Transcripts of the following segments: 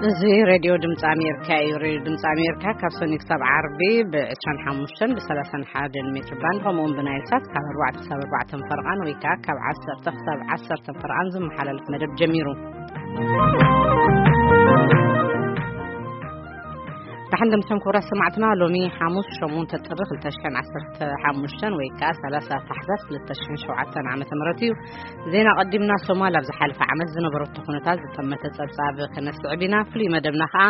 እዚ ሬድዮ ድምፂ ኣሜሪካ እዩ። ሬድዮ ድምፂ ኣሜሪካ ካብ ሰኒ ክሳብ ዓርቢ ብ25 ብ31 ሜትር ባንድ፣ ከምኡ እውን ብናይል ሳት ካብ ኣርባዕተ ክሳብ ኣርባዕተ ፈረቓን ወይ ከዓ ካብ ዓሰርተ ክሳብ ዓሰርተ ፈረቓን ዝመሓላለፍ መደብ ጀሚሩ። ደሓን ደምሰን ክቡራት ሰማዕትና፣ ሎሚ ሓሙስ ሸሞንተ ጥሪ ክልተ ሽሕን ዓሰርተ ሓሙሽተን ወይ ከዓ ሰላሳ ታሕሳስ ክልተ ሽሕን ሸውዓተን ዓመተ ምህረት እዩ። ዜና ቀዲምና። ሶማል ኣብ ዝሓለፈ ዓመት ዝነበረቶ ኩነታት ዝጠመተ ጸብጻብ ክነስዕብ ኢና። ፍሉይ መደብና ከዓ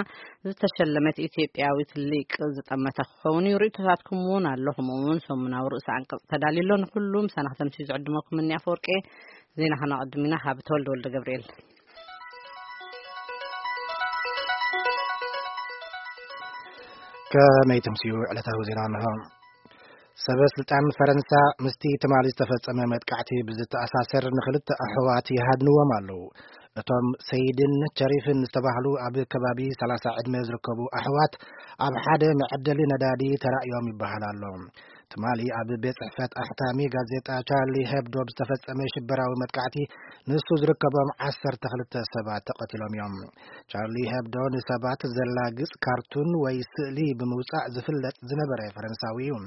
ዝተሸለመት ኢትዮጵያዊት ሊቅ ዝጠመተ ክኸውን እዩ። ርእይቶታትኩም እውን ኣሎ። ከምኡ እውን ሰሙናዊ ርእሰ ኣንቀጽ ተዳልዩ ኣሎ። ንኩሉ ምሳና ክተምሲ ዝዕድመኩም እኒ ኣፈወርቂ። ዜና ከነቐድም ኢና። ካብ ተወልደ ወልደ ገብርኤል። ከመይ ትምስዩ? ዕለታዊ ዜና እንሆ። ሰበ ስልጣን ፈረንሳ ምስቲ ትማሊ ዝተፈጸመ መጥቃዕቲ ብዝተኣሳሰር ንኽልተ ኣሕዋት ይሃድንዎም ኣለዉ። እቶም ሰይድን ቸሪፍን ዝተባህሉ ኣብ ከባቢ ሰላሳ ዕድመ ዝርከቡ ኣሕዋት ኣብ ሓደ መዐደሊ ነዳዲ ተራእዮም ይበሃል ኣሎ። ትማሊ ኣብ ቤት ጽሕፈት ኣሕታሚ ጋዜጣ ቻርሊ ሄብዶ ብዝተፈጸመ ሽበራዊ መጥቃዕቲ ንሱ ዝርከቦም ዓሰርተ ክልተ ሰባት ተቐቲሎም እዮም። ቻርሊ ሄብዶ ንሰባት ዘላግጽ ካርቱን ወይ ስእሊ ብምውጻእ ዝፍለጥ ዝነበረ ፈረንሳዊ እዩ።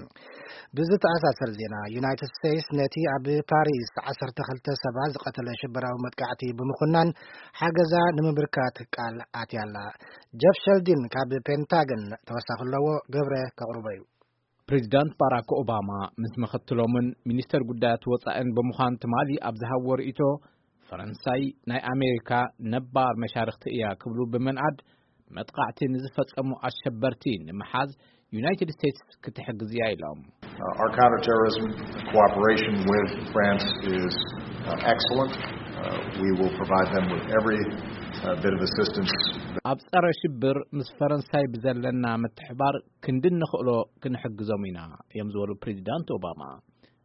ብዝተኣሳሰር ዜና፣ ዩናይትድ ስቴትስ ነቲ ኣብ ፓሪስ ዓሰርተ ክልተ ሰባት ዝቐተለ ሽበራዊ መጥቃዕቲ ብምኹናን ሓገዛ ንምብርካት ቃል ኣትያ ኣላ። ጀፍ ሸልዲን ካብ ፔንታገን ተወሳኺ ኣለዎ፣ ገብረ ከቕርቦ እዩ። ፕሬዚዳንት ባራክ ኦባማ ምስ ምኽትሎምን ሚኒስተር ጉዳያት ወጻእን ብምዃን ትማሊ ኣብ ዝሃብዎ ርእይቶ፣ ፈረንሳይ ናይ ኣሜሪካ ነባር መሻርኽቲ እያ ክብሉ ብምንኣድ፣ መጥቃዕቲ ንዝፈጸሙ ኣሸበርቲ ንምሓዝ ዩናይትድ ስቴትስ ክትሕግዝ እያ ኢሎም። Uh, our counterterrorism cooperation with France is uh, excellent. Uh, we will provide them with every uh, bit of assistance. ኣብ ጸረ ሽብር ምስ ፈረንሳይ ብዘለና ምትሕባር ክንዲ ንኽእሎ ክንሕግዞም ኢና እዮም ዝበሉ ፕሬዚዳንት ኦባማ።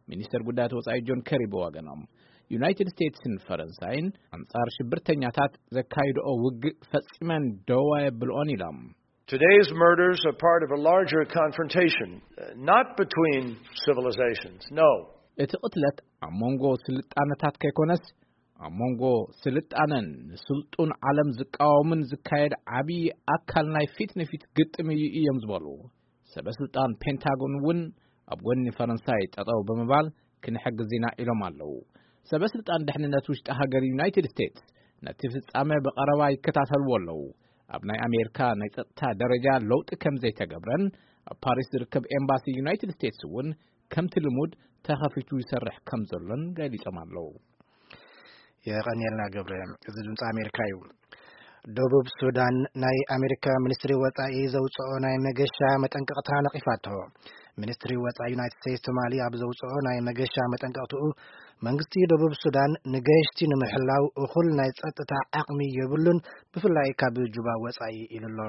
ሚኒስተር ጉዳያት ወጻኢ ጆን ከሪ ብወገኖም፣ ዩናይትድ ስቴትስን ፈረንሳይን ኣንጻር ሽብርተኛታት ዘካይድኦ ውግእ ፈጺመን ደው ኣየብልኦን ኢሎም። Today's murders are part of a larger confrontation, uh, not between civilizations, no. እቲ ቅትለት ኣብ መንጎ ስልጣነታት ከይኮነስ፣ ኣብ መንጎ ስልጣነን ንስልጡን ዓለም ዝቃወምን ዝካየድ ዓብዪ ኣካል ናይ ፊት ንፊት ግጥም እዩ እዮም ዝበሉ ሰበ ስልጣን ፔንታጎን እውን፣ ኣብ ጎኒ ፈረንሳይ ጠጠው ብምባል ክንሕግዝ ኢና ኢሎም ኣለዉ። ሰበ ስልጣን ድሕንነት ውሽጢ ሃገር ዩናይትድ ስቴትስ ነቲ ፍጻመ ብቐረባ ይከታተልዎ ኣለዉ። ኣብ ናይ ኣሜሪካ ናይ ጸጥታ ደረጃ ለውጢ ከም ዘይተገብረን፣ ኣብ ፓሪስ ዝርከብ ኤምባሲ ዩናይትድ ስቴትስ እውን ከምቲ ልሙድ ተኸፊቱ ይሰርሕ ከም ዘሎን ገሊጾም ኣለዉ። የቐንየልና ገብረ። እዚ ድምፂ ኣሜሪካ እዩ። ደቡብ ሱዳን ናይ ኣሜሪካ ሚኒስትሪ ወጻኢ ዘውፅኦ ናይ መገሻ መጠንቀቕታ ነቒፋቶ። ሚኒስትሪ ወጻኢ ዩናይትድ ስቴትስ ትማሊ ኣብ ዘውፅኦ ናይ መገሻ መጠንቀቕትኡ፣ መንግስቲ ደቡብ ሱዳን ንገሽቲ ንምሕላው እኹል ናይ ጸጥታ ዓቕሚ የብሉን፣ ብፍላይ ካብ ጁባ ወጻኢ ኢሉ ኣሎ።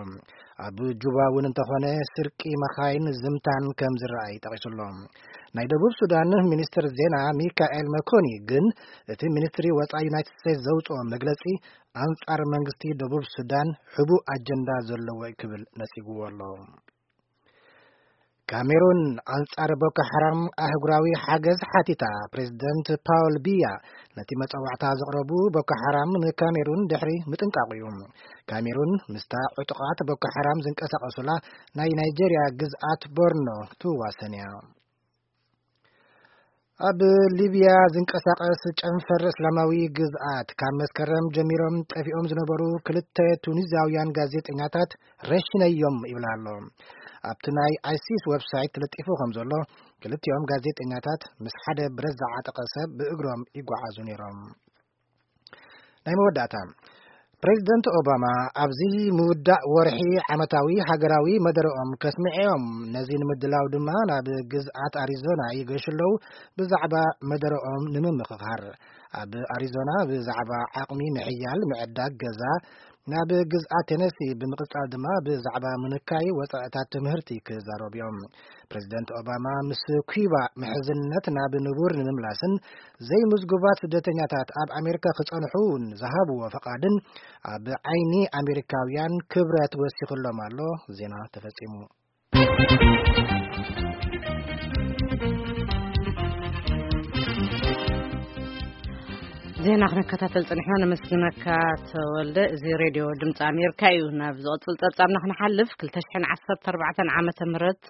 ኣብ ጁባ እውን እንተኾነ ስርቂ መኻይን ዝምታን ከም ዝረኣይ ጠቒሱ ኣሎ። ናይ ደቡብ ሱዳን ሚኒስትር ዜና ሚካኤል መኮኒ ግን እቲ ሚኒስትሪ ወጻኢ ዩናይትድ ስቴትስ ዘውፅኦ መግለጺ ኣንጻር መንግስቲ ደቡብ ሱዳን ሕቡእ ኣጀንዳ ዘለዎ እዩ ክብል ነጺግዎ ኣሎ። ካሜሩን ኣንጻር ቦኮ ሓራም ኣህጉራዊ ሓገዝ ሓቲታ። ፕሬዚደንት ፓውል ቢያ ነቲ መጸዋዕታ ዘቕረቡ፣ ቦኮ ሓራም ንካሜሩን ድሕሪ ምጥንቃቑ እዩ። ካሜሩን ምስታ ዕጡቓት ቦኮ ሓራም ዝንቀሳቐሱላ ናይ ናይጄርያ ግዝኣት ቦርኖ ትዋሰን እያ። ኣብ ሊብያ ዝንቀሳቐስ ጨንፈር እስላማዊ ግዝኣት ካብ መስከረም ጀሚሮም ጠፊኦም ዝነበሩ ክልተ ቱኒዝያውያን ጋዜጠኛታት ረሺነዮም ይብል ኣሎ። ኣብቲ ናይ ኣይሲስ ዌብሳይት ተለጢፉ ከም ዘሎ፣ ክልቲኦም ጋዜጠኛታት ምስ ሓደ ብረት ዝዓጠቐ ሰብ ብእግሮም ይጓዓዙ ነይሮም። ናይ መወዳእታ፣ ፕሬዚደንት ኦባማ ኣብዚ ምውዳእ ወርሒ ዓመታዊ ሃገራዊ መደረኦም ከስምዕዮም። ነዚ ንምድላው ድማ ናብ ግዝኣት ኣሪዞና ይገሹ ኣለዉ። ብዛዕባ መደረኦም ንምምኽኻር፣ ኣብ ኣሪዞና ብዛዕባ ዓቕሚ ምሕያል ምዕዳግ ገዛ፣ ናብ ግዝኣት ቴነሲ ብምቕጻል ድማ ብዛዕባ ምንካይ ወጻእታት ትምህርቲ ክዛረቡ እዮም። ፕሬዚደንት ኦባማ ምስ ኩባ ምሕዝነት ናብ ንቡር ንምምላስን ዘይምዝጉባት ስደተኛታት ኣብ ኣሜሪካ ክጸንሑ እውን ዝሃብዎ ፈቓድን ኣብ ዓይኒ ኣሜሪካውያን ክብረት ወሲኽሎም ኣሎ። ዜና ተፈጺሙ። ዜና ክንከታተል ጽኒሕና፣ ነመስግነካ ተወልደ። እዚ ሬድዮ ድምፂ ኣሜሪካ እዩ። ናብ ዝቕጽል ጸብጻብና ክንሓልፍ፣ ክልተ ሽሕን ዓሰርተ ኣርባዕተን ዓመተ ምህረት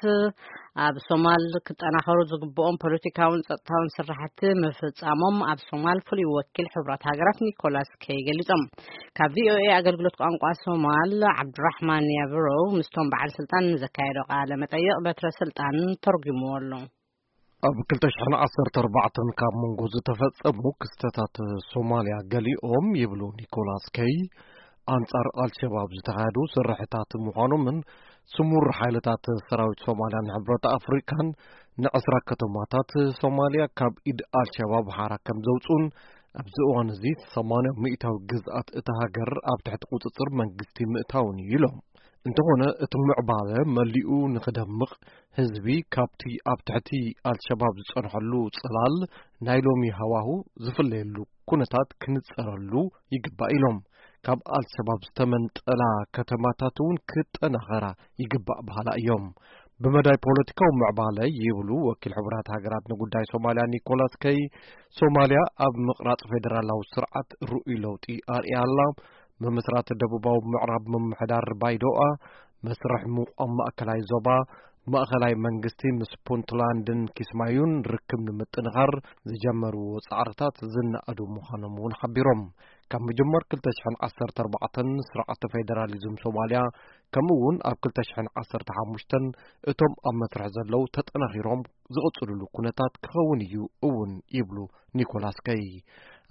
ኣብ ሶማል ክጠናኸሩ ዝግብኦም ፖለቲካውን ጸጥታውን ስራሕቲ ምፍጻሞም ኣብ ሶማል ፍሉይ ወኪል ሕቡራት ሃገራት ኒኮላስ ኬይ ገሊጾም። ካብ ቪኦኤ ኣገልግሎት ቋንቋ ሶማል ዓብዱራሕማን ያብሮ ምስቶም በዓል ስልጣን ንዘካየዶ ቃለ መጠይቕ በትረ ስልጣን ተርጉምዎ ኣሎ። ኣብ ክልተ ሽሕን ዓሰርተ ኣርባዕተን ካብ መንጎ ዝተፈጸሙ ክስተታት ሶማልያ ገሊኦም ይብሉ ኒኮላስ ኬይ፣ ኣንጻር ኣልሸባብ ዝተኻየዱ ስርሕታት ምዃኖምን ስሙር ሓይልታት ሰራዊት ሶማልያን ሕብረት ኣፍሪካን ንዕስራ ከተማታት ሶማልያ ካብ ኢድ ኣልሸባብ ሓራ ከም ዘውፅኡን ኣብዚ እዋን እዚ ሰማንያ ሚእታዊ ግዝኣት እታ ሃገር ኣብ ትሕቲ ቁፅፅር መንግስቲ ምእታውን እዩ ኢሎም። እንተኾነ እቲ ምዕባለ መሊኡ ንኽደምቕ ህዝቢ ካብቲ ኣብ ትሕቲ ኣልሸባብ ዝጸንሐሉ ጽላል ናይ ሎሚ ሃዋሁ ዝፍለየሉ ኩነታት ክንጸረሉ ይግባእ ኢሎም። ካብ ኣልሸባብ ዝተመንጠላ ከተማታት እውን ክጠናኸራ ይግባእ በሃላ እዮም። ብመዳይ ፖለቲካዊ ምዕባለ ይብሉ ወኪል ሕቡራት ሃገራት ንጉዳይ ሶማልያ ኒኮላስ ኬይ፣ ሶማልያ ኣብ ምቕራጽ ፌደራላዊ ስርዓት ርኡይ ለውጢ ኣርእያ ኣላ። ምምስራት ደቡባዊ ምዕራብ ምምሕዳር ባይዶኣ፣ መስርሕ ምቋም ማእከላይ ዞባ፣ ማእከላይ መንግስቲ ምስ ፑንትላንድን ኪስማዩን ርክብ ንምጥንኻር ዝጀመርዎ ጻዕርታት ዝነኣዱ ምዃኖም እውን ሓቢሮም። ካብ ምጅማር ክልተ ሽሕን ዓሰርተ ኣርባዕተን ስርዓት ፌደራሊዝም ሶማልያ፣ ከምኡ እውን ኣብ ክልተ ሽሕን ዓሰርተ ሓሙሽተን እቶም ኣብ መስርሕ ዘለዉ ተጠናኺሮም ዝቕጽልሉ ኩነታት ክኸውን እዩ እውን ይብሉ ኒኮላስ ኬይ።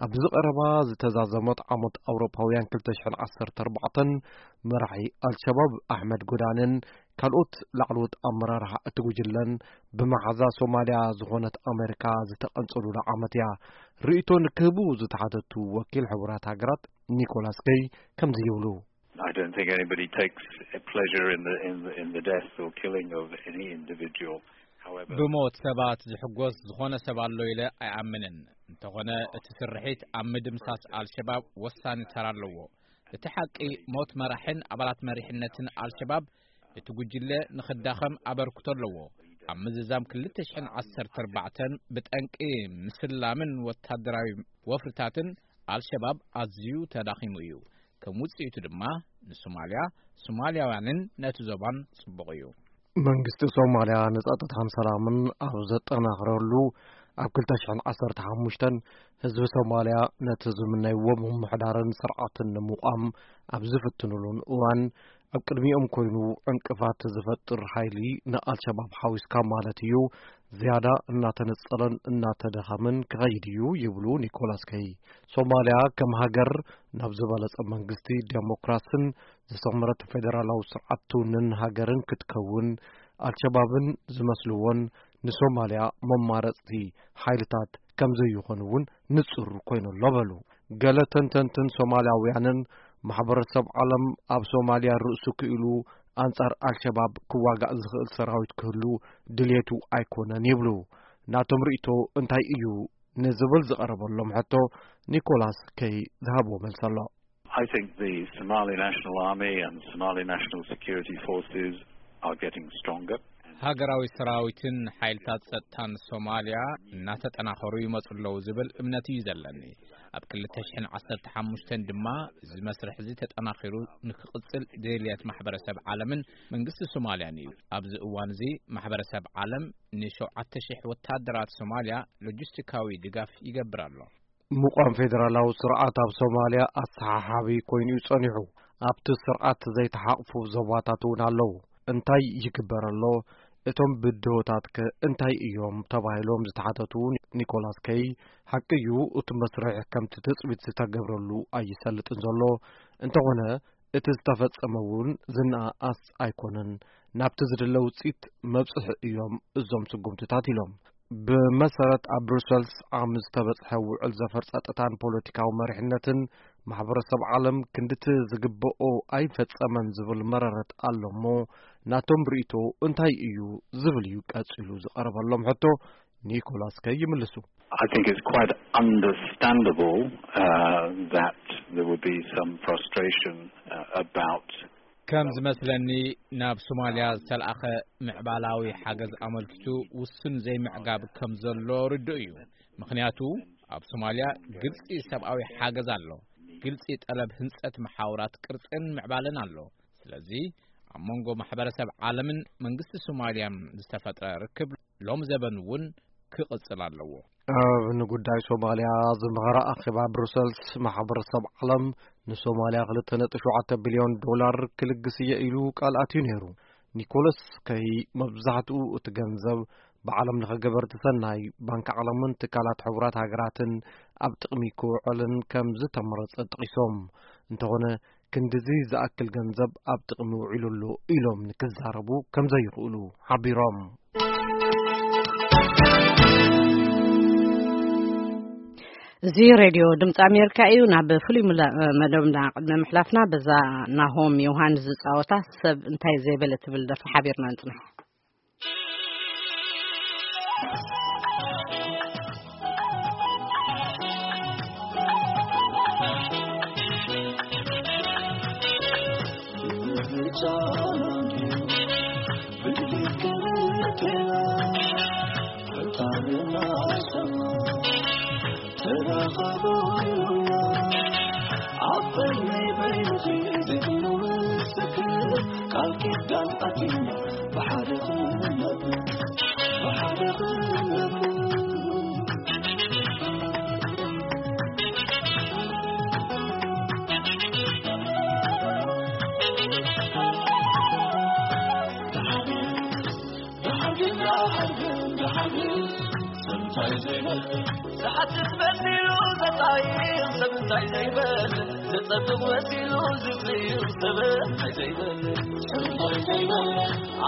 ኣብዚ ቀረባ ዝተዛዘመት ዓመት ኣውሮፓውያን ክልተ ሽሕን ዓሰርተ ኣርባዕተን መራሒ ኣልሸባብ ኣሕመድ ጎዳንን ካልኦት ላዕለዎት ኣመራርሓ እቲ ጉጅለን ብመሓዛ ሶማልያ ዝኾነት ኣሜሪካ ዝተቐንጸሉላ ዓመት እያ። ርእይቶ ንክህቡ ዝተሓተቱ ወኪል ሕቡራት ሃገራት ኒኮላስ ኬይ ከምዚ ይብሉ። I don't think anybody takes a pleasure in the, in the, in the death or killing of any individual. However, ብሞት ሰባት ዝሕጎስ ዝኾነ ሰብ ኣሎ ኢለ ኣይኣምንን። እንተኾነ እቲ ስርሒት ኣብ ምድምሳስ ኣልሸባብ ወሳኒ ተራ ኣለዎ። እቲ ሓቂ ሞት መራሕን ኣባላት መሪሕነትን ኣልሸባብ እቲ ጉጅለ ንኽዳኸም ኣበርክቶ ኣለዎ። ኣብ ምዝዛም ክልተ ሽሕን ዓሰርተ ኣርባዕተን ብጠንቂ ምስላምን ወታደራዊ ወፍርታትን ኣልሸባብ ኣዝዩ ተዳኺሙ እዩ። ከም ውጽኢቱ ድማ ንሶማልያ፣ ሶማልያውያንን ነቲ ዞባን ጽቡቕ እዩ። መንግስቲ ሶማልያ ንጸጥታን ሰላምን ኣብ ዘጠናኽረሉ ኣብ ክልተ ሽሕን ዓሰርተ ሓሙሽተን ህዝቢ ሶማልያ ነቲ ዝምነይዎ ምምሕዳርን ስርዓትን ንምቋም ኣብ ዝፍትኑሉን እዋን ኣብ ቅድሚኦም ኮይኑ ዕንቅፋት ዝፈጥር ሓይሊ ንኣልሸባብ ሓዊስካ ማለት እዩ ዝያዳ እናተነጸለን እናተደኸምን ክኸይድ እዩ ይብሉ ኒኮላስ ኬይ። ሶማልያ ከም ሃገር ናብ ዝበለጸ መንግስቲ ዴሞክራስን ዝሰመረት ፌደራላዊ ስርዓት ትውንን ሃገርን ክትከውን ኣልሸባብን ዝመስልዎን ንሶማልያ መማረጽቲ ሓይልታት ከም ዘይኾኑ እውን ንጹር ኮይኑ ኣሎ በሉ። ገለ ተንተንትን ሶማልያውያንን ማሕበረሰብ ዓለም ኣብ ሶማልያ ርእሱ ክኢሉ ኣንጻር ኣልሸባብ ክዋጋእ ዝኽእል ሰራዊት ክህሉ ድልየቱ ኣይኮነን ይብሉ። ናቶም ርእይቶ እንታይ እዩ ንዝብል ዝቐረበሎም ሕቶ ኒኮላስ ኬይ ዝሃብዎ መልሲ ኣሎ። I think the Somali National Army and Somali National Security Forces are getting stronger. ሃገራዊ ሰራዊትን ሓይልታት ጸጥታን ሶማልያ እናተጠናኸሩ ይመጹ ኣለዉ ዝብል እምነት እዩ ዘለኒ። ኣብ ክልተ ሽሕን ዓሰርተ ሓሙሽተን ድማ እዚ መስርሕ እዚ ተጠናኺሩ ንክቕጽል ድልየት ማሕበረሰብ ዓለምን መንግስቲ ሶማልያን እዩ። ኣብዚ እዋን እዚ ማሕበረሰብ ዓለም ንሸውዓተ ሽሕ ወታደራት ሶማልያ ሎጂስቲካዊ ድጋፍ ይገብር ኣሎ። ምቋም ፌደራላዊ ስርዓት ኣብ ሶማልያ ኣሰሓሓቢ ኮይኑ እዩ ጸኒሑ። ኣብቲ ስርዓት ዘይተሓቕፉ ዞባታት እውን ኣለዉ። እንታይ ይግበር ኣሎ? እቶም ብድሆታትከ እንታይ እዮም? ተባሂሎም ዝተሓተቱ ኒኮላስ ኬይ፣ ሓቂ እዩ፣ እቲ መስርሕ ከምቲ ትጽቢት ዝተገብረሉ ኣይሰልጥን ዘሎ። እንተኾነ እቲ ዝተፈጸመ እውን ዝነኣኣስ ኣይኮነን። ናብቲ ዝድለ ውጽኢት መብጽሒ እዮም እዞም ስጉምትታት ኢሎም። ብመሰረት ኣብ ብሩሰልስ ዓም ዝተበጽሐ ውዕል ዘፈር ጸጥታን ፖለቲካዊ መሪሕነትን ማሕበረሰብ ዓለም ክንድቲ ዝግብኦ ኣይፈጸመን ዝብል መረረት ኣሎ እሞ ናቶም ርእይቶ እንታይ እዩ ዝብል እዩ ቀጺሉ ዝቐረበሎም ሕቶ ኒኮላስ ኬይ ይምልሱ። I think it's quite understandable uh, that there would be some frustration uh, about ከም ዝመስለኒ ናብ ሶማልያ ዝተለኣኸ ምዕባላዊ ሓገዝ ኣመልኪቱ ውሱን ዘይምዕጋብ ከም ዘሎ ርዱእ እዩ። ምኽንያቱ ኣብ ሶማልያ ግልጺ ሰብኣዊ ሓገዝ ኣሎ። ግልጺ ጠለብ ህንጸት መሓውራት ቅርጽን ምዕባለን ኣሎ። ስለዚ ኣብ መንጎ ማሕበረሰብ ዓለምን መንግስቲ ሶማልያን ዝተፈጥረ ርክብ ሎም ዘበን እውን ክቕጽል ኣለዎ። ኣብ ንጉዳይ ሶማልያ ዝመኸረ ኣኼባ ብሩሰልስ፣ ማሕበረሰብ ዓለም ንሶማልያ ክልተ ነጥቢ ሸውዓተ ቢልዮን ዶላር ክልግስ እየ ኢሉ ቃል ኣትዩ ነይሩ። ኒኮለስ ከይ፣ መብዛሕትኡ እቲ ገንዘብ ብዓለም ለኸ ገበርቲ ሰናይ፣ ባንክ ዓለምን ትካላት ሕቡራት ሃገራትን ኣብ ጥቕሚ ክውዕልን ከም ዝተመረጸ ጠቒሶም፣ እንተኾነ ክንድዚ ዝኣክል ገንዘብ ኣብ ጥቕሚ ውዒሉ ኣሎ ኢሎም ንክዛረቡ ከም ዘይኽእሉ ሓቢሮም። እዚ ሬድዮ ድምፂ ኣሜሪካ እዩ። ናብ ፍሉይ ምላ- መደብና ቅድሚ ምሕላፍና፣ በዛ ናሆም ዮሃንስ ዝፃወታ ሰብ እንታይ ዘይበለ ትብል ደርፊ ሓቢርና ንፅንሕ። ዝሓትት መሲሉ ዘጣይቕ ሰብ እንታይ ዘይበል፣ ዘጸብቕ መሲሉ ዝጽይቕ ሰብ እንታይ ዘይበል፣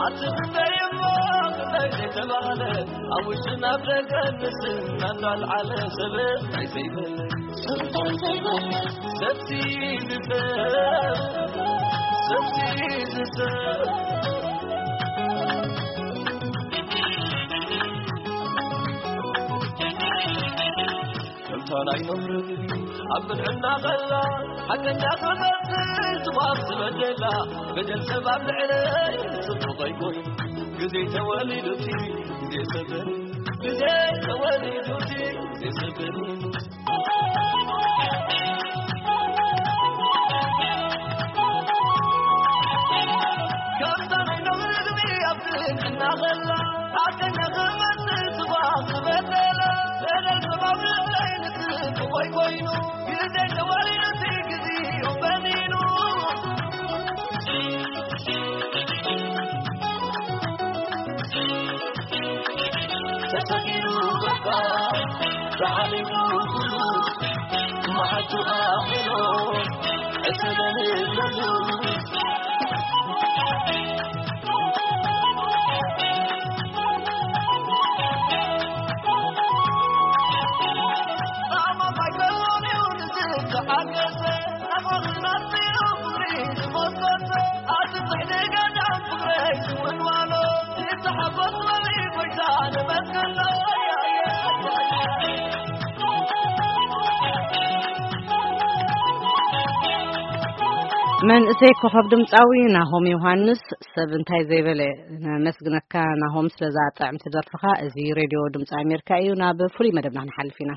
ኣቲ እንታይ እሞ እንታይ ዘይተባህለ፣ ኣብ ውሽጥን ኣብ ደገን ንስና እንዳልዓለ ሰብ እንታይ ዘይበል፣ ሰብ እንታይ ዘይበል፣ ሰብሲ ዝሰብ፣ ሰብሲ ዝሰብ። ከምታ ናይ ነብሪ ኣብ ብልዕና ኸላ ሓቀኛ ክመስል ትጓፍ ዝበደላ፣ በደል ሰብ ኣብ ልዕለይ ጽቡቕ ኣይኮይ። ግዜ ተወሊዱቲ ግዜ ሰብር፣ ግዜ ተወሊዱቲ ግዜ ሰብር። መንእሰይ ኮኸብ ድምፃዊ ናሆም ዮሃንስ፣ ሰብ እንታይ ዘይበለ። ነመስግነካ ናሆም ስለዛ ጥዕምቲ ደርፍኻ። እዚ ሬድዮ ድምፂ ኣሜሪካ እዩ። ናብ ፍሉይ መደብና ክንሓልፍ ኢና።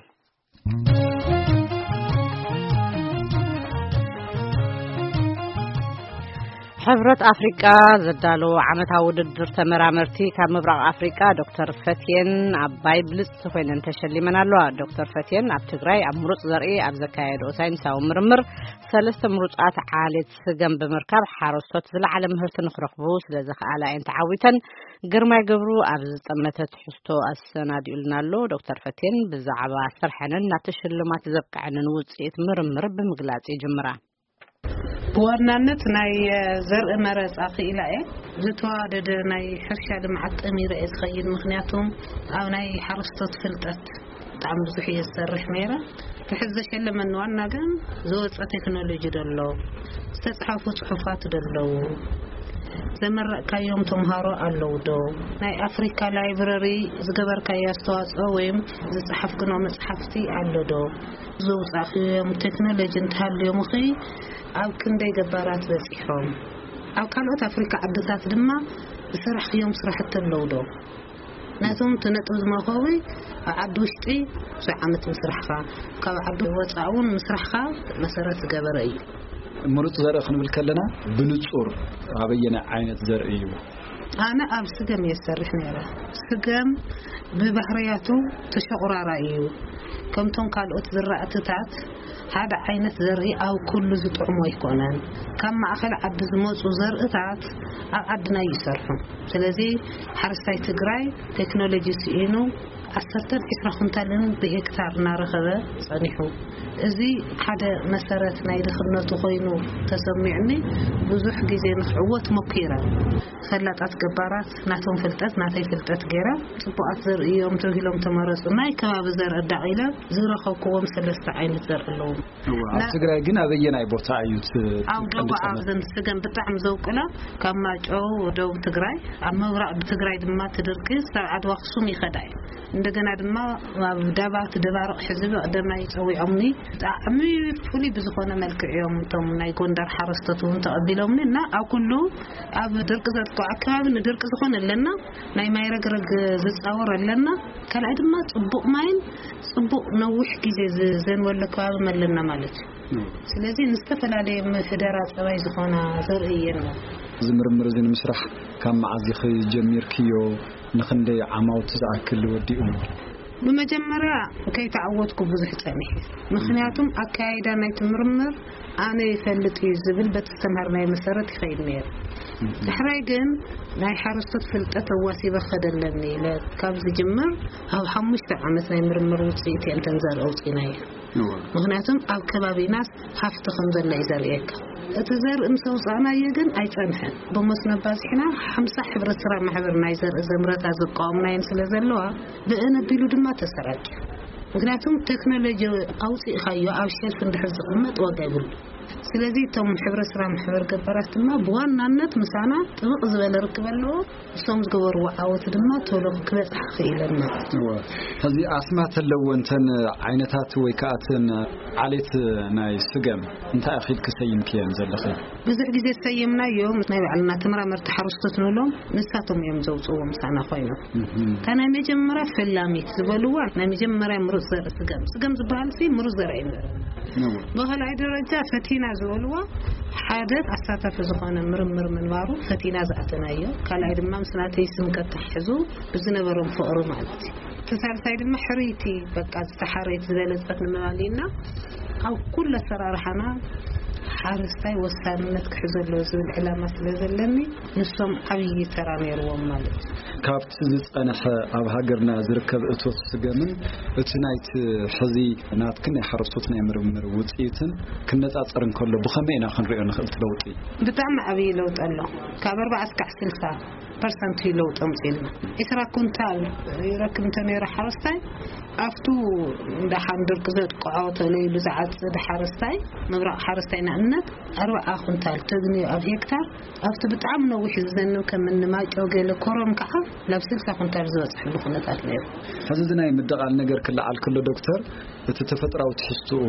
ሕብረት ኣፍሪቃ ዘዳለዎ ዓመታዊ ውድድር ተመራመርቲ ካብ ምብራቕ ኣፍሪቃ ዶክተር ፈትየን ኣባይ ብልጽቲ ኮይነን ተሸሊመን ኣለዋ። ዶክተር ፈትየን ኣብ ትግራይ ኣብ ምሩጽ ዘርኢ ኣብ ዘካየድኦ ሳይንሳዊ ምርምር ሰለስተ ምሩጻት ዓሌት ስገም ብምርካብ ሓረስቶት ዝለዓለ ምህርቲ ንክረኽቡ ስለ ዘኽኣላ እየን ተዓዊተን። ግርማይ ገብሩ ኣብ ዝጠመተ ትሕዝቶ ኣሰናዲኡልና ኣሎ። ዶክተር ፈትየን ብዛዕባ ስርሐንን ናብቲ ሽልማት ዘብቅዐንን ውጽኢት ምርምር ብምግላጽ ይጅምራ። ብዋናነት ናይ ዘርኢ መረፃ ክኢላ እየ። ዝተዋደደ ናይ ሕርሻ ልምዓት ጠሚረ እየ ዝኸይድ፣ ምክንያቱ ኣብ ናይ ሓረስቶት ፍልጠት ብጣዕሚ ብዙሕ እየ ዝሰርሕ ነይረ። እቲ ሕዚ ዘሸለመኒ ዋና ግን ዝወፀ ቴክኖሎጂ ዶ ኣሎ፣ ዝተፅሓፉ ፅሑፋት ዶ ኣለዉ፣ ዘመረቕካዮም ተምሃሮ ኣለዉ ዶ፣ ናይ ኣፍሪካ ላይብረሪ ዝገበርካዮ ኣስተዋፅኦ ወይም ዝፀሓፍክኖ መፅሓፍቲ ኣሎ ዶ፣ ዘውፃእክዮም ቴክኖሎጂ እንተሃልዮም ኸ ኣብ ክንደይ ገባራት በፂሖም፣ ኣብ ካልኦት ኣፍሪካ ዓድታት ድማ ዝሰራሕክዮም ስራሕቲ ኣለዉ ዶ? ናቶም እቲ ነጥቢ ዝመኸዊ ኣብ ዓዲ ውሽጢ ብዙሕ ዓመት ምስራሕኻ፣ ካብ ዓዲ ወፃእ እውን ምስራሕኻ መሰረት ዝገበረ እዩ። ምሩፅ ዘርኢ ክንብል ከለና ብንጹር ኣበየናይ ዓይነት ዘርኢ እዩ? ኣነ ኣብ ስገም እየ ዝሰርሕ ነይረ። ስገም ብባህርያቱ ተሸቑራራይ እዩ። ከምቶም ካልኦት ዝራእትታት ሓደ ዓይነት ዘርኢ ኣብ ኩሉ ዝጥዕሞ ኣይኮነን። ካብ ማእኸል ዓዲ ዝመፁ ዘርእታት ኣብ ዓድና ይሰርሑ። ስለዚ ሓረስታይ ትግራይ ቴክኖሎጂ ስኢኑ ዓሰርተን ዒስራ ኩንታልን ብሄክታር እናረኸበ ጸኒሑ። እዚ ሓደ መሰረት ናይ ድኽነቱ ኮይኑ ተሰሚዑኒ። ብዙሕ ግዜ ንኽዕወት ሞኪረ። ፈላጣት ገባራት ናቶም ፍልጠት ናተይ ፍልጠት ገይረ፣ ጽቡቓት ዘርእዮም ተባሂሎም ተመረጹ። ናይ ከባቢ ዘርኢ ኣዳቒለ ዝረኸብክዎም ሰለስተ ዓይነት ዘርኢ ኣለዎም። እዋ፣ ኣብ ና- ትግራይ ግን ኣበየናይ ቦታ እዩ እቲ ኣብ ደቡብ ትጥቀምሉ? ኣብዘን ስገም ብጣዕሚ ዘውቅላ፣ ካብ ማይጨው ደቡብ ትግራይ፣ ኣብ ምብራቕ ብትግራይ ድማ ትድርቂ ክሳብ ዓድዋ ኣኽሱም ይኸዳ እዩ። እንደገና ድማ ኣብ ዳባት ደባርቕ ሕዚ ብቐደማይ ጸዊዖምኒ። ብጣዕሚ ፍሉይ ብዝኾነ መልክዕ እዮም እቶም ናይ ጎንደር ሓረስቶት እውን ተቐቢሎምኒ እና ኣብ ኩሉ ኣብ ድርቂ ዘጥቅዖ ኣከባቢ ንድርቂ ዝኾነ ኣለና፣ ናይ ማይ ረግረግ ዝጻወር ኣለና። ካልኣይ ድማ ጽቡቕ ማይን ጽቡቕ ነዊሕ ግዜ ዝ- ዘንበለ ከባቢ ኣለና ማለት እዩ። ስለዚ ንዝተፈላለየ ምሕደራ ጸባይ ዝኾና ዘርኢ እየን። እዚ ምርምር እዚ ንምስራሕ ካብ መዓዝ ኢኺ ጀሚርክዮ? ንኽንደይ ዓማውቲ ዝኣክል ወዲኡ? ብመጀመርያ ከይተዓወትኩ ብዙሕ ጸኒሐ። ምኽንያቱም ኣካያይዳ ናይቲ ምርምር ኣነ ይፈልጥ እዩ ዝብል በቲ ዝተምሃርናዮ መሰረት ይኸይድ ነይሩ። ዳሕራይ ግን ናይ ሓረስቶት ፍልጠት ኣዋሲበ ክኸድ ኣለኒ ኢለ ካብ ዝጅምር ኣብ ሓሙሽተ ዓመት ናይ ምርምር ውፅኢት እየን ተን ዘርኢ ኣውፂእናዮ። እዋ። ምኽንያቱም ኣብ ከባቢናስ ሃፍቲ ከም ዘሎ እዩ ዘርእየካ። እቲ ዘርኢ ምስ ኣውፃእናዮ ግን ኣይፀንሐን። ብመስኖ ኣባዚሕና ሓምሳ ሕብረት ስራ ማሕበር ናይ ዘርኢ ዘምረታ ዝቃወምናየን ስለ ዘለዋ ብእን ኣቢሉ ድማ ተሰራጭ። ምኽንያቱም ቴክኖሎጂ ኣውፂእኻዮ ኣብ ሸልፍ እንድሕር ዝቕመጥ ዋጋ ይብሉ። ስለዚ እቶም ሕብረት ስራ ማሕበር ገባራት ድማ ብዋናነት ምሳና ጥብቕ ዝበለ ርክብ ኣለዎ። እሶም ዝገበርዎ ዓወት ድማ ቶሎ ክበፅሕ ክኢለን ማለት እዩ። እወ። ሕዚ ኣስማት ኣለዎ እንተን ዓይነታት ወይ ከዓ እተን ዓሌት ናይ ስገም እንታይ ኣኺል ክሰይምክየን ዘለኺ? ብዙሕ ግዜ ዝሰየምናዮም ናይ ባዕልና ተመራመርቲ ሓረስቶት ንብሎም ንሳቶም እዮም ዘውፅዎ ምሳና ኮይኖም። እህም። እታ ናይ መጀመርያ ፈላሚት ዝበልዋ ናይ መጀመርያ ምሩፅ ዘርኢ ስገም። ስገም ዝበሃል ሲ ምሩፅ ዘርኢ እዩ። እወ። ብኻልኣይ ደረጃ ፈቲና ዝበልዋ ሓደ ኣሳታፊ ዝኾነ ምርምር ምንባሩ ፈቲና ዝኣተናዮ። ካልኣይ ድማ ምስ ናተይ ስም ከተሓሕዙ ብዝነበሮም ፍቕሪ ማለት እዩ። እቲ ሳልሳይ ድማ ሕርይቲ በቃ ዝተሓረየት ዝበለጸት ንምባል ኢና ኣብ ኩሉ ኣሰራርሓና ሓረስታይ ወሳንነት ክሕዘ ኣለዎ ዝብል ዕላማ ስለ ዘለኒ ንሶም ዓብዪ ተራ ነይርዎም ማለት እዩ። ካብቲ ዝጸንሐ ኣብ ሃገርና ዝርከብ እቶት ስገምን እቲ ናይቲ ሕዚ ናትክን ናይ ሓረስቶት ናይ ምርምር ውጽኢትን ክነጻጸር እንከሎ ብኸመይ ኢና ክንሪኦ ንኽእል እቲ ለውጢ? ብጣዕሚ ዓብዪ ለውጢ ኣሎ። ካብ ኣርባዓ እስካዕ ስልሳ ፐርሰንት እዩ ለውጢ ኣምጺእልና። ዒስራ ኩንታል ይረክብ እንተነይሩ ሓረስታይ ኣብቱ ደሓን ድርቂ ዘጥቅዖ ተለይሉ ዝዓጽድ ሓረስታይ ምብራቕ ሓረስታይ ንኣብነት ኣርባዓ ኩንታል ተግንዮ ኣብ ሄክታር ኣብቲ ብጣዕሚ ነዊሕ ዝዘንብ ከም እኒ ማይጨው ገለ ኮረም ከዓ ናብ ስልሳ ኩንታል ዝበፅሕሉ ኩነታት ነይሩ። ሕዚ እዚ ናይ ምድቓል ነገር ክለዓል ከሎ ዶክተር፣ እቲ ተፈጥራዊ ትሕዝትኡ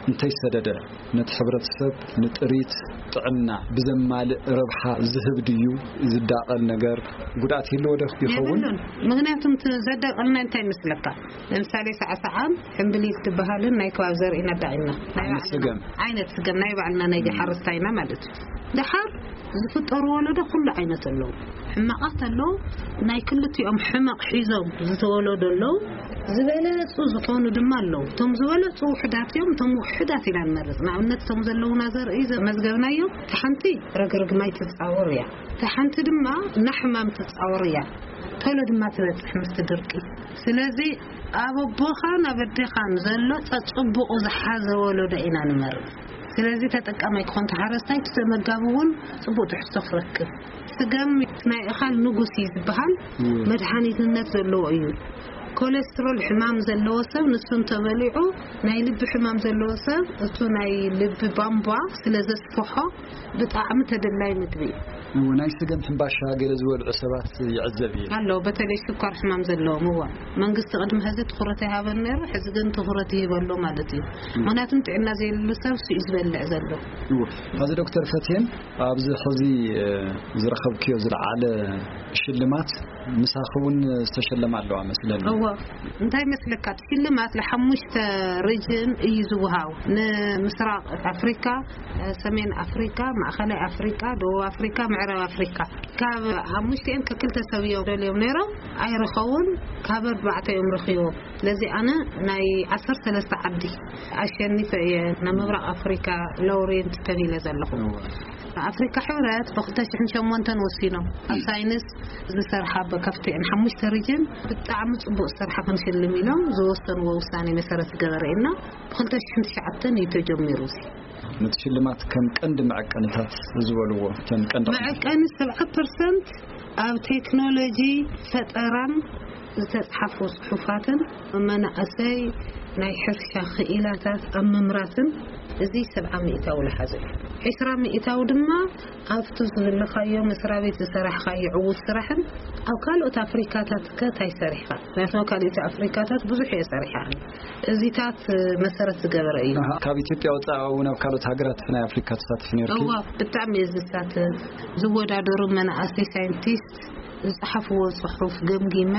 እንተይሰደደ ነቲ ሕብረተሰብ ንጥሪት ጥዕና ብዘማልእ ረብሓ ዝህብ ድዩ? ዝዳቐል ነገር ጉድኣት ይህልዎ ዶ ይኸውን? የብሉን። ምኽንያቱም እቲ ዘዳቐልና እንታይ ይመስለካ? ለምሳሌ ሳዕሳዓን ሕምብሊል ትበሃልን ናይ ከባቢ ዘርኢና ኣዳቒልና ናይ ዓይነት ባዕልና ስገም። ዓይነት ስገም ናይ ባዕልና ናይ ሓረስታይና ማለት እዩ። ደሓር ዝፍጠሩ ወለዶ ኩሉ ዓይነት ኣለዉ። ሕማቓት ኣለዉ፣ ናይ ክልቲኦም ሕመቕ ሒዞም ዝተወለዱ ኣለዉ፣ ዝበለጹ ዝኾኑ ድማ ኣለዉ። እቶም ዝበለጹ ውሑዳት እዮም፣ እቶም ውሑዳት ኢና ንመርጽ። ንኣብነት እቶም ዘለዉና ዘርኢ ዘመዝገብናዮም፣ እቲ ሓንቲ ረግረግ ማይ ትጻወር እያ፣ እቲ ሓንቲ ድማ ናሕማም ትጻወር እያ፣ ቶሎ ድማ ትበጽሕ ምስቲ ድርቂ። ስለዚ ኣብ ኣቦኻን ኣብ ኣዴኻን ዘሎ ጸጽቡቑ ዝሓዘ ወለዶ ኢና ንመርጽ። ስለዚ ተጠቃማይ ክኾን ተሓረስታይ እቲ ተመጋቢ እውን ጽቡቕ ትሕዝቶ ክረክብ። ስገም ናይ እኻል ንጉስ እዩ ዝበሃል፣ እወ። መድሃኒትነት ዘለዎ እዩ። ኮሌስትሮል ሕማም ዘለዎ ሰብ ንሱ እንተበሊዑ፣ ናይ ልቢ ሕማም ዘለዎ ሰብ እቱ ናይ ልቢ ቧንቧ ስለ ዘስፍሖ ብጣዕሚ ተደላይ ምግቢ እዩ። እዎ፣ ናይ ስገም ሕምባሻ ገለ ዝበልዑ ሰባት ይዕዘብ እየ። ኣሎ፣ በተለይ ሽኳር ሕማም ዘለዎም። እዋ፣ መንግስቲ ቅድሚ ሕዚ ትኹረት ኣይሃበን ነይሩ፣ ሕዚ ግን ትኹረት ይህበሎ ማለት እዩ። ምክንያቱም ጥዕና ዘይብሉ ሰብ እሱ እዩ ዝበልዕ ዘሎ። እዎ። ሕዚ ዶክተር ፈትየን፣ ኣብዚ ሕዚ፣ እ፣ ዝረኸብክዮ ዝለዓለ ሽልማት ምሳኺ እውን ዝተሸለማ ኣለዋ መስለኒ። እዎ። እንታይ መስለካ? እቲ ሽልማት ንሓሙሽተ ሪጅን እዩ ዝወሃብ። ንምስራቅ ኣፍሪካ፣ ሰሜን ኣፍሪካ፣ ማእኸላይ ኣፍሪካ፣ ደቡብ ኣፍሪካ፣ ምዕራብ ኣፍሪካ። ካብ ሓሙሽቲኦም ከክልተ ሰብ እዮም ደልዮም ነይሮም፣ ኣይረኸቡን። ካብ ኣርባዕተ እዮም ረኺቦም። ስለዚ ኣነ ናይ ዓሰርተ ሰለስተ ዓዲ ኣሸኒፈ እየ ናብ ምብራቅ ኣፍሪካ ላውሬት ተቢለ ዘለኹ። ኣፍሪካ ሕብረት ብ ክልተ ሽሕን ሸሞንተን ወሲኖም ኣብ ሳይንስ ዝሰርሓ ብ-፣ ካብቲ ሓሙሽተ ሪጅን ብጣዕሚ ጽቡቅ ስራሕ ክንሽልም ኢሎም ዝወሰንዎ ውሳኔ መሰረት ዝገበረ ኢና። ብ ክልተ ሽሕን ትሽዓተን እዩ ተጀሚሩ። ነቲ ሽልማት ከም ቀንዲ መዐቀንታት ዝበልዎ፣ እተን ቀንዲ መዐቀኒ ሰብዓ ፐርሰንት ኣብ ቴክኖሎጂ ፈጠራን ዝተጽሓፉ ጽሑፋትን መናእሰይ ናይ ሕርሻ ክኢላታት ኣብ ምምራትን፣ እዚ ሰብዓ ሚእታዊ ዝሓዘ እዩ። ዕስራ ሚእታዊ ድማ ኣብቲ ዝብልኻዮ መስሪያ ቤት ዝሰራሕኻዮ ዕዉት ስራሕን ኣብ ካልኦት ኣፍሪካታት ከ እንታይ ሰሪሕኻ? ምክንያቱ ኣብ ካልኦት ኣፍሪካታት ብዙሕ እየ ሰሪሐ። እዚታት መሰረት ዝገበረ እዩ። ኣሃ፣ ካብ ኢትዮጵያ ወፃኢ እውን ኣብ ካልኦት ሃገራት ናይ ኣፍሪካ ትሳተፍ ነርኪ? እዋ፣ ብጣዕሚ እየ ዝሳተፍ። ዝወዳደሩ መናእሰይ ሳይንቲስት ዝፀሓፍዎ ፅሑፍ ገምጊመ፣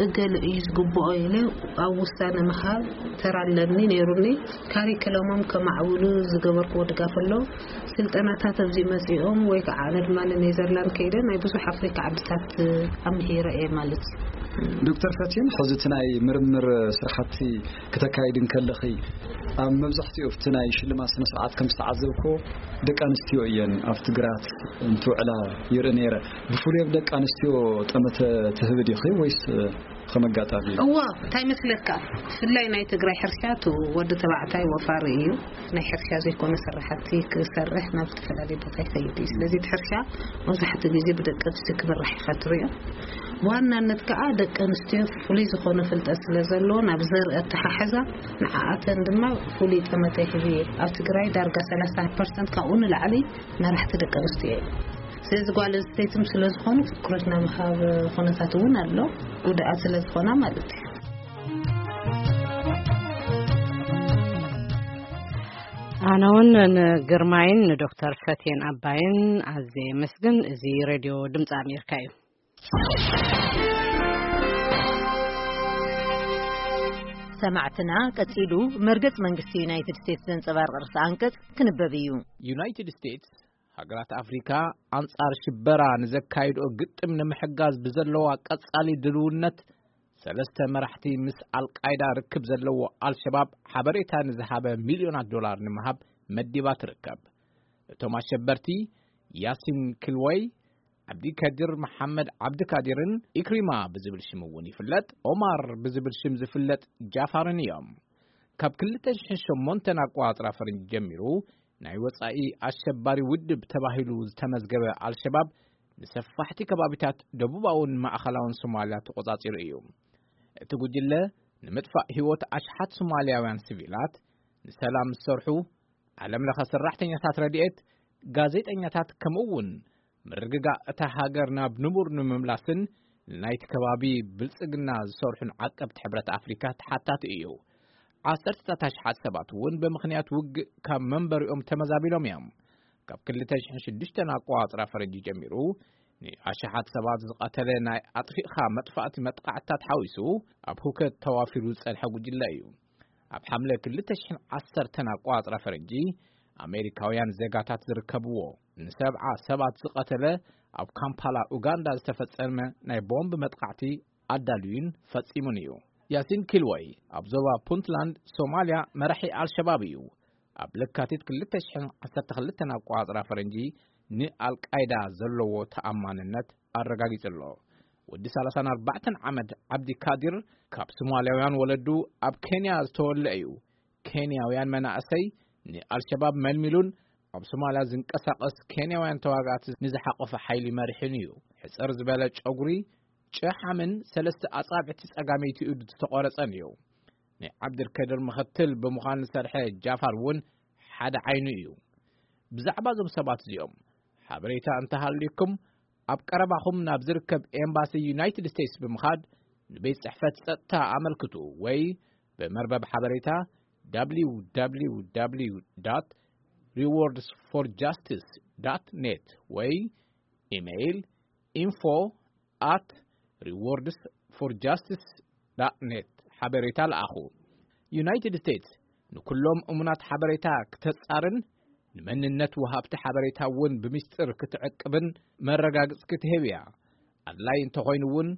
እገለ እዩ ዝግብኦ ኢለ ኣብ ውሳነ ምሃብ ተራ ኣለኒ ነይሩኒ። ካሪክለሞም ከማዕብሉ ዝገበርክዎ ድጋፍ ኣሎ። ስልጠናታት ኣብዚ መፂኦም ወይ ከዓ ኣነ ድማ ንኔዘርላንድ ከይደ ናይ ብዙሕ ኣፍሪካ ዓድታት ኣምሂረ እየ ማለት እዩ። ዶክተር ፈቲን፣ ሕዚ እቲ ናይ ምርምር ስራሕቲ ክተካይድ እንከለኺ፣ ኣብ መብዛሕትኡ ኣብቲ ናይ ሽልማት ስነ ስርዓት ከም ዝተዓዘብክዎ፣ ደቂ ኣንስትዮ እየን ኣብቲ ግራት እንትውዕላ ይርኢ ነይረ። ብፍሉይ ኣብ ደቂ ኣንስትዮ ጠመተ ትህቢ ዲኺ ወይስ ከም ኣጋጣሚ እዩ? እዋ፣ እንታይ መስለካ? ብፍላይ ናይ ትግራይ ሕርሻ፣ እቲ ወዲ ተባዕታይ ወፋሪ እዩ። ናይ ሕርሻ ዘይኮነ ስራሕቲ ክሰርሕ ናብ ዝተፈላለየ ቦታ ይኸይድ እዩ። ስለዚ እቲ ሕርሻ መብዛሕትኡ ግዜ ብደቂ ኣንስትዮ ክምራሕ ኢኻ ትሪኦ። ብዋናነት ከዓ ደቂ ኣንስትዮ ፍሉይ ዝኾነ ፍልጠት ስለ ዘለወን፣ ኣብ ዘርኢ ኣተሓሕዛ ንዓኣተን ድማ ፍሉይ ጠመተ ይህብ እየ። ኣብ ትግራይ ዳርጋ ሰላሳ ፐርሰንት ካብኡ ንላዕሊ መራሕቲ ደቂ ኣንስትዮ እዮም። ስለዚ ጓል ኣንስተይትም ስለ ዝኾኑ ትኩረት ናይ ምሃብ ኩነታት እውን ኣሎ፣ ጉድኣት ስለ ዝኾና ማለት እዩ። ኣነ እውን ንግርማይን ንዶክተር ፈቴን ኣባይን ኣዝየ የመስግን። እዚ ሬድዮ ድምፂ ኣሜሪካ እዩ። ሰማዕትና፣ ቀጺሉ መርገጽ መንግስቲ ዩናይትድ ስቴትስ ዘንጸባርቕ ርእሰ ኣንቀጽ ክንበብ እዩ። ዩናይትድ ስቴትስ፣ ሃገራት ኣፍሪካ ኣንጻር ሽበራ ንዘካይድኦ ግጥም ንምሕጋዝ ብዘለዋ ቀጻሊ ድልውነት፣ ሰለስተ መራሕቲ ምስ ኣልቃይዳ ርክብ ዘለዎ ኣልሸባብ ሓበሬታ ንዝሃበ ሚልዮናት ዶላር ንምሃብ መዲባ ትርከብ። እቶም ኣሸበርቲ፣ ያሲን ኪልወይ፣ ዓብዲ ከዲር መሓመድ ዓብዲ ካዲርን ኢክሪማ ብዝብል ሽም እውን ይፍለጥ፣ ኦማር ብዝብል ሽም ዝፍለጥ ጃፋርን እዮም። ካብ ክልተ ሽሕን ሸሞንተን ኣቆጻጽራ ፈረንጂ ጀሚሩ ናይ ወጻኢ ኣሸባሪ ውድብ ተባሂሉ ዝተመዝገበ ኣልሸባብ ንሰፋሕቲ ከባቢታት ደቡባውን ማእኸላውን ሶማልያ ተቆጻጺሩ እዩ። እቲ ጉጅለ ንምጥፋእ ህይወት ኣሽሓት ሶማልያውያን ሲቪላት፣ ንሰላም ዝሰርሑ፣ ዓለም ለኸ ሰራሕተኛታት ረድኤት፣ ጋዜጠኛታት፣ ከምኡ እውን ምርግጋእ እታ ሃገር ናብ ንቡር ንምምላስን ንናይቲ ከባቢ ብልጽግና ዝሰርሑን ዓቀብቲ ሕብረት ኣፍሪካ ተሓታቲ እዩ። ዓሰርተታት ኣሽሓት ሰባት እውን ብምኽንያት ውግእ ካብ መንበሪኦም ተመዛቢሎም እዮም። ካብ ክልተ ሽሕን ሽዱሽተን ኣቆጻጽራ ፈረንጂ ጀሚሩ ንኣሽሓት ሰባት ዝቐተለ ናይ ኣጥፊእኻ መጥፋእቲ መጥቃዕትታት ሓዊሱ ኣብ ሁከት ተዋፊሩ ዝጸንሐ ጉጅለ እዩ። ኣብ ሓምለ ክልተ ሽሕን ዓሰርተን ኣቆጻጽራ ፈረንጂ ኣሜሪካውያን ዜጋታት ዝርከብዎ ንሰብዓ ሰባት ዝቐተለ ኣብ ካምፓላ ኡጋንዳ ዝተፈጸመ ናይ ቦምብ መጥቃዕቲ ኣዳልዩን ፈጺሙን እዩ። ያሲን ኪልወይ ኣብ ዞባ ፑንትላንድ ሶማልያ መራሒ ኣልሸባብ እዩ። ኣብ ለካቲት ክልተ ሽሕን ዓሰርተ ክልተን ኣቆጻጽራ ፈረንጂ ንኣልቃይዳ ዘለዎ ተኣማንነት ኣረጋጊጹ ኣሎ። ወዲ ሰላሳን ኣርባዕተን ዓመት ዓብዲ ካዲር ካብ ሶማልያውያን ወለዱ ኣብ ኬንያ ዝተወልደ እዩ። ኬንያውያን መናእሰይ ንኣልሸባብ መልሚሉን ኣብ ሶማልያ ዝንቀሳቐስ ኬንያውያን ተዋጋእቲ ንዝሓቆፈ ሓይሊ መሪሑን እዩ። ሕጽር ዝበለ ጨጉሪ፣ ጨሓምን ሰለስተ ኣጻብዕቲ ጸጋመይቲ ኢዱ ዝተቖረጸን እዩ። ናይ ዓብድልከድር ምኽትል ብምዃን ዝሰርሐ ጃፋር እውን ሓደ ዓይኑ እዩ። ብዛዕባ እዞም ሰባት እዚኦም ሓበሬታ እንተሃልዩኩም፣ ኣብ ቀረባኹም ናብ ዝርከብ ኤምባሲ ዩናይትድ ስቴትስ ብምኻድ ንቤት ጽሕፈት ጸጥታ ኣመልክቱ ወይ ብመርበብ ሓበሬታ www rewards for justice dot net ወይ ኢሜይል ኢንፎ ኣት ሪዎርድስ ፎር ጃስቲስ ዳት ኔት ሓበሬታ ለኣኹ። ዩናይትድ ስቴትስ ንኩሎም እሙናት ሓበሬታ ክተጻርን ንመንነት ወሃብቲ ሓበሬታ እውን ብምስጢር ክትዕቅብን መረጋግጽ ክትህብ እያ። ኣድላይ እንተኾይኑ እውን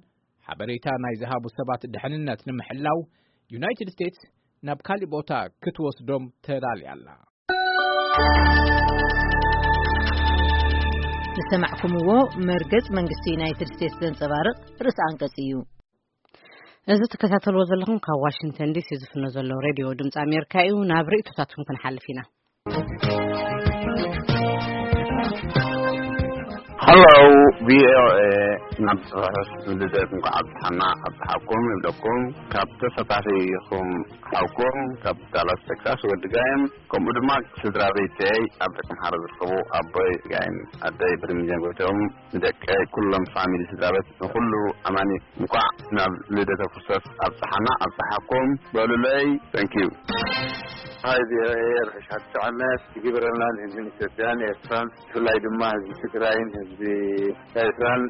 ሓበሬታ ናይ ዝሃቡ ሰባት ድሕንነት ንምሕላው ዩናይትድ ስቴትስ ናብ ካሊእ ቦታ ክትወስዶም ተዳልያ ኣላ። ዝሰማዕኩምዎ መርገጽ መንግስቲ ዩናይትድ ስቴትስ ዘንጸባርቕ ርእሲ ኣንቀጽ እዩ። እዚ ትከታተልዎ ዘለኹም ካብ ዋሽንግተን ዲሲ ዝፍኖ ዘሎ ሬድዮ ድምፂ ኣሜሪካ እዩ። ናብ ርእይቶታትኩም ክንሓልፍ ኢና። ሃሎ፣ ቪኦኤ፣ ናብ ርሑስ ልደት እንኳዕ ኣብጽሓና ኣብጽሓኩም ይብለኩም። ካብ ተሳታፊኹም ሓውኩም ካብ ዳላስ ቴክሳስ ወዲ ጋይም፣ ከምኡ ድማ ስድራ ቤተይ ኣብ ደቂ ኣምሓራ ዝርከቡ ኣቦይ ጋይም፣ ኣደይ ብርሚጀን ጎይቶም፣ ንደቀይ፣ ኩሎም ፋሚሊ ስድራ ቤት፣ ንኹሉ ኣማኒ እንኳዕ ናብ ልደተ ክርስቶስ ኣብጽሓና ኣብጽሓኩም በሉለይ። Thank you። ሃይ ቪኦኤ፣ ርሑስ ሓድሽ ዓመት ይግበረልና ንህዝብን ኢትዮጵያን ኤርትራን፣ ብፍላይ ድማ ህዝቢ ትግራይን ህዝቢ ኤርትራን።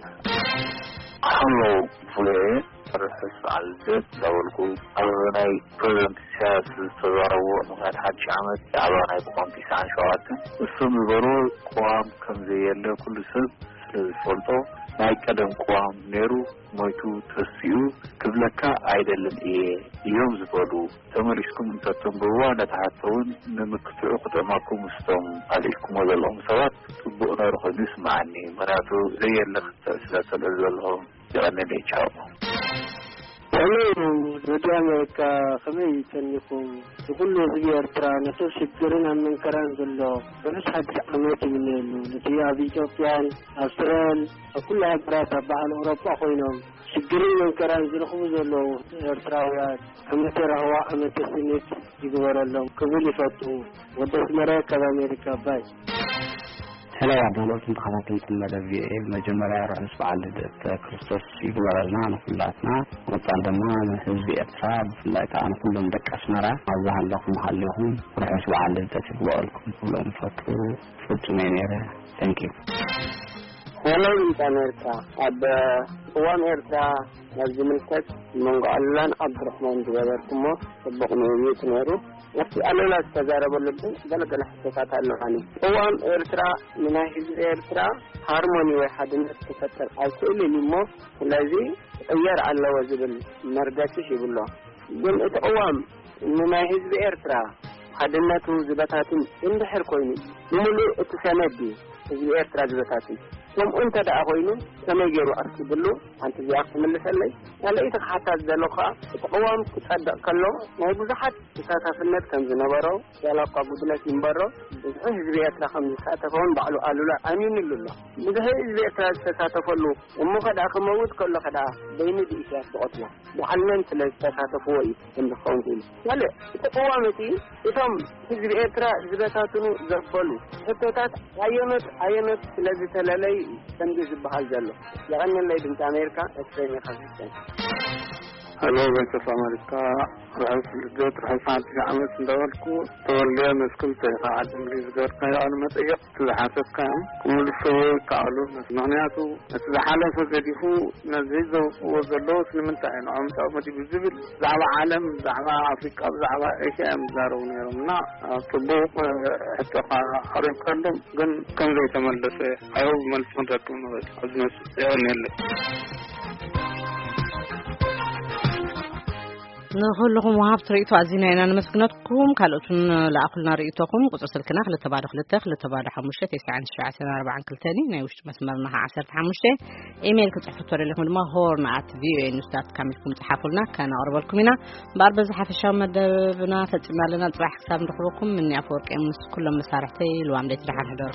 ሃሎ ቪኦኤ፣ ርሑስ በዓል ልደት እንዳበልኩ፣ ኣብ ናይ ፕሬዚደንት ኢሳያስ ዝተዛረቦ ምኽንያት ሓድሽ ዓመት ብዛዕባ ናይ ቅዋም ቲስዓን ሸውዓተን፣ እሱ ዝበሮ ቅዋም ከም ዘየለ ኩሉ ሰብ ስለ ዝፈልጦ፣ ናይ ቀደም ቅዋም ነይሩ ሞይቱ ተሲኡ ክብለካ ኣይደልን እየ እዮም ዝበሉ። ተመሊስኩም እንተተንብብዋ፣ ነታ ሕቶ እውን ንምክትዑ ክጥዕመኩም ምስቶም ኣልዒልኩሞ ዘለኹም ሰባት ጽቡቕ ነይሩ ኮይኑ ይስምዓኒ። ምኽንያቱ ዘየለ ክትዕ ስለ ተልዕሉ ዘለኹም። የቐንየለይ። ቻው። ሄሎ፣ ሬድዮ ኣሜሪካ፣ ከመይ ጸኒኹም? ንኹሉ ህዝቢ ኤርትራ፣ ነቲ ኣብ ሽግርን ኣብ መንከራን ዘሎ፣ ርሑስ ሓድሽ ዓመት ይምነየሉ። ነቲ ኣብ ኢትዮጵያን፣ ኣብ እስራኤል፣ ኣብ ኩሉ ሃገራት፣ ኣብ በዓል ኤውሮጳ ኮይኖም፣ ሽግርን መንከራን ዝረኽቡ ዘለዉ ኤርትራውያን፣ ዓመተ ራህዋ፣ ዓመተ ስኒት ይግበረሎም ክብል ይፈቱ። ወዲ ኣስመረ ካብ ኣሜሪካ። ባይ። ሄሎ፣ ኣድናቖትን ተኸታተልትን መደብ ቪኦኤ፣ ብመጀመርያ ርሑስ በዓል ልደት ክርስቶስ ይግበረልና ንኹላትና። መጻን ድማ ንህዝቢ ኤርትራ፣ ብፍላይ ከኣ ንኹሎም ደቂ ኣስመራ፣ ኣብ ዝሃለኹም ሃሊኹም ርሑስ በዓል ልደት ይግበረልኩም ክብሎም ይፈቱ። ፍጹም እየ ነይረ። Thank you። ሄሎ፣ ድምፂ ኣሜሪካ። ኣብ ቅዋም ኤርትራ ናብ ዝምልከት መንጎ ኣሉላን ዓብዱራሕማን ዝገበርኩሞ ጽቡቕ ምይይጥ ነይሩ። ኣብቲ ኣሉላ ዝተዛረበሉ ግን ገለ ገለ ሕቶታት ኣለዋኒ። ቅዋም ኤርትራ ንናይ ህዝቢ ኤርትራ ሃርሞኒ ወይ ሓድነት ክፈጥር ኣይክእልን እዩ እሞ፣ ስለዚ ክቕየር ኣለዎ ዝብል መርገጺ ሂቡ ኣሎ። ግን እቲ ቅዋም ንናይ ህዝቢ ኤርትራ ሓድነቱ ዝበታትን እንድሕር ኮይኑ፣ ብምሉእ እቲ ሰነድ ድዩ ህዝቢ ኤርትራ ዝበታትን? ከምኡ እንተ ደኣ ኮይኑ፣ ከመይ ገይሩ ኣፍቂድሉ? ሓንቲ እዚኣ ክትምልሰለይ። ካልኣይቲ ክሓታ ዝደለኹ ከኣ፣ እቲ ቅዋም ክጸድቕ ከሎ ናይ ብዙሓት ተሳታፍነት ከም ዝነበሮ፣ ዋላ እኳ ጉድለት ይንበሮ፣ ብዙሕ ህዝቢ ኤርትራ ከም ዝሳተፎን ባዕሉ ኣሉላ ኣሚኑሉ ኣሎ። ብዙሕ ህዝቢ ኤርትራ ዝተሳተፈሉ፣ እሞ ከደኣ ክመውት ከሎ ከደኣ በይኑ ብኢሳያስ ዝቐትሎ፣ በዓል መን ስለ ዝተሳተፍዎ እዩ ከም ዝኸውን ክኢሉ። ካልእ፣ እቲ ቅዋም እቲ እቶም ህዝቢ ኤርትራ ዝበታትኑ ዘበሉ ሕቶታት ኣየኖት ኣየኖት ስለ ዝተለለዩ እዩ ከምዚ ዝበሃል ዘሎ። የቐንየለይ። ድምፂ ኣሜሪካ፣ ኤፍሬም ኢኻ። ሄሎ፣ ቮይስ ኦፍ ኣሜሪካ፣ ርሑስ ልደት፣ ርሑስ ሓድሽ ዓመት እንዳበልኩ፣ ተወልደ መስክል ተይኻ ዓዲ እንግሊዝ ዝገበርካዮ ቃለ መጠይቕ፣ እቲ ዝሓተትካዮ ክምልስዎ ይከኣሉ። ምኽንያቱ፣ እቲ ዝሓለፈ ገዲፉ ነዚ ዘውፅዎ ዘለዉ ስለምንታይ እዩ ንዖም ጫቕ መዲቡ ዝብል፣ ብዛዕባ ዓለም፣ ብዛዕባ ኣፍሪቃ፣ ብዛዕባ ኤሽያ እዮም ዝዛረቡ ነይሮም እና፣ ጽቡቕ ሕቶኻ ኣቕሪብካሎም፣ ግን ከም ዘይተመለሰ፣ ኣይሆፕ መልሲ ክንረክብ ንኽእል ኣብዚ መጽእ። የቐንየለይ። ንኹልኹም ወሃብቲ ርእይቶ ኣዚና ኢና ነመስግነኩም። ካልኦት እውን ለኣኹልና ርእይቶኹም። ቁጽሪ ስልክና ክልተ ባዶ ክልተ፣ ክልተ ባዶ ሓሙሽተ፣ ተስዓን ትሽዓተን ኣርባዓን ክልተን እዩ። ናይ ውሽጢ መስመርና ኸዓ ዓሰርተ ሓሙሽተ። ኢሜይል ክጽሕፉ ተደሊኹም ድማ ሆርን ኣት ቪኦኤ ኒውስ ዳት ካም ኢልኩም ጽሓፉልና፣ ከነቕርበልኩም ኢና። እምበኣር በዚ ሓፈሻዊ መደብና ፈጺምና ኣለና። ጽባሕ ክሳብ ንረኽበኩም፣ ምኒ ኣፈወርቂ ምስ ኩሎም መሳርሕተይ ልዋም ደይት ደሓን ሕደሩ።